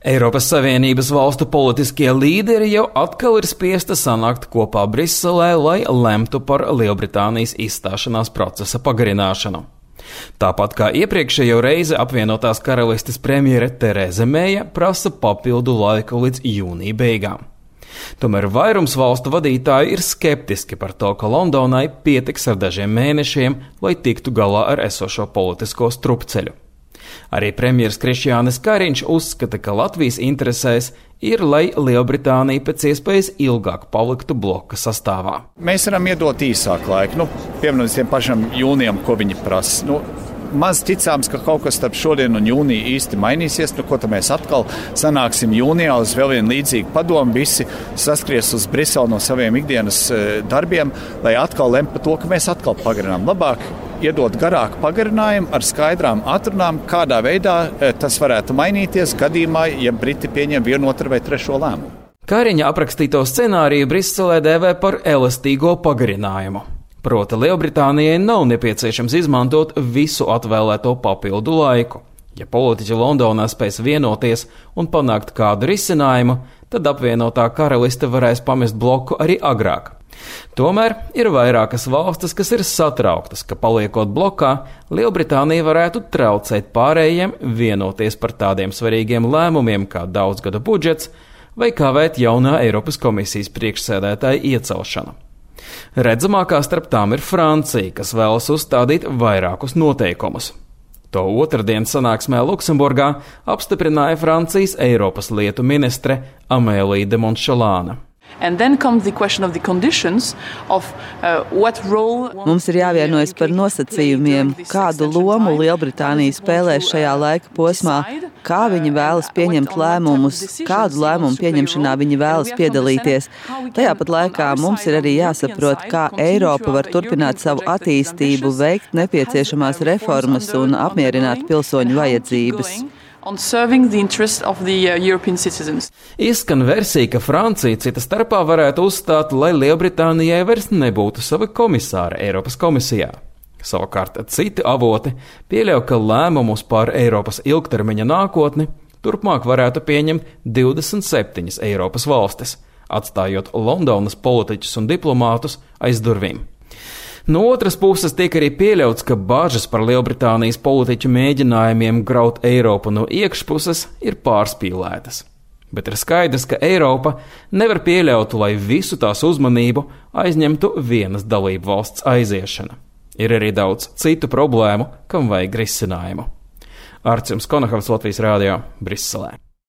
Eiropas Savienības valstu politiskie līderi jau atkal ir spiesti sanākt kopā Briselē, lai lemtu par Lielbritānijas izstāšanās procesa pagarināšanu. Tāpat kā iepriekšējo reizi apvienotās karalistes premjere Tereza Meija prasa papildu laiku līdz jūnija beigām. Tomēr vairums valstu vadītāji ir skeptiski par to, ka Londonai pietiks ar dažiem mēnešiem, lai tiktu galā ar esošo politisko strupceļu. Arī premjers Krišjānis Kariņš uzskata, ka Latvijas interesēs ir, lai Lielbritānija pēc iespējas ilgāk paliktu bloka sastāvā. Mēs varam iedot īsāku laiku, piemēram, tiem pašam jūnijam, ko viņi prasa. Maz ticāms, ka kaut kas starp šodien un jūniju īsti mainīsies, ko tad mēs atkal sanāksim jūnijā uz vēl vienu līdzīgu padomu, visi saskries uz Briseli no saviem ikdienas darbiem, lai atkal lem par to, ka mēs atkal pagarinām. Labāk iedot garāku pagarinājumu ar skaidrām atrunām, kādā veidā tas varētu mainīties gadījumā, ja Briti pieņem vienu, otru vai trešo lēmumu. Kariņa aprakstīto scenāriju Briselē dēvē par elastīgo pagarinājumu. Proti, Lielbritānijai nav nepieciešams izmantot visu atvēlēto papildu laiku. Ja politiķi Londonā spēs vienoties un panākt kādu risinājumu, tad apvienotā karaliste varēs pamest bloku arī agrāk. Tomēr ir vairākas valstis, kas ir satrauktas, ka paliekot blokā, Lielbritānija varētu traucēt pārējiem vienoties par tādiem svarīgiem lēmumiem kā daudzgada budžets vai kavēt jaunā Eiropas komisijas priekšsēdētāja iecelšanu. Redzamākā starp tām ir Francija, kas vēlas uzstādīt vairākus noteikumus. To otrdien sanāksmē Luksemburgā apstiprināja Francijas Eiropas lietu ministre Amélija de Montchalane. Mums ir jāvienojas par nosacījumiem, kādu lomu Lielbritānija spēlēs šajā laika posmā, kā viņi vēlas pieņemt lēmumus, kādu lēmumu pieņemšanā viņi vēlas piedalīties. Tajā pat laikā mums ir arī jāsaprot, kā Eiropa var turpināt savu attīstību, veikt nepieciešamās reformas un apmierināt pilsoņu vajadzības. Izskan versija, ka Francija cita starpā varētu uzstāt, lai Lielbritānijai vairs nebūtu sava komisāra Eiropas komisijā. Savukārt citi avoti pieļauj, ka lēmumus par Eiropas ilgtermiņa nākotni turpmāk varētu pieņemt 27 Eiropas valstis, atstājot Londonas politiķus un diplomātus aiz durvīm. No otras puses tiek arī pieļauts, ka bažas par Lielbritānijas politiķu mēģinājumiem graut Eiropu no iekšpuses ir pārspīlētas. Bet ir skaidrs, ka Eiropa nevar pieļaut, lai visu tās uzmanību aizņemtu vienas dalību valsts aiziešana. Ir arī daudz citu problēmu, kam vajag risinājumu. Arts Konahavs, Latvijas Rādio, Briselē.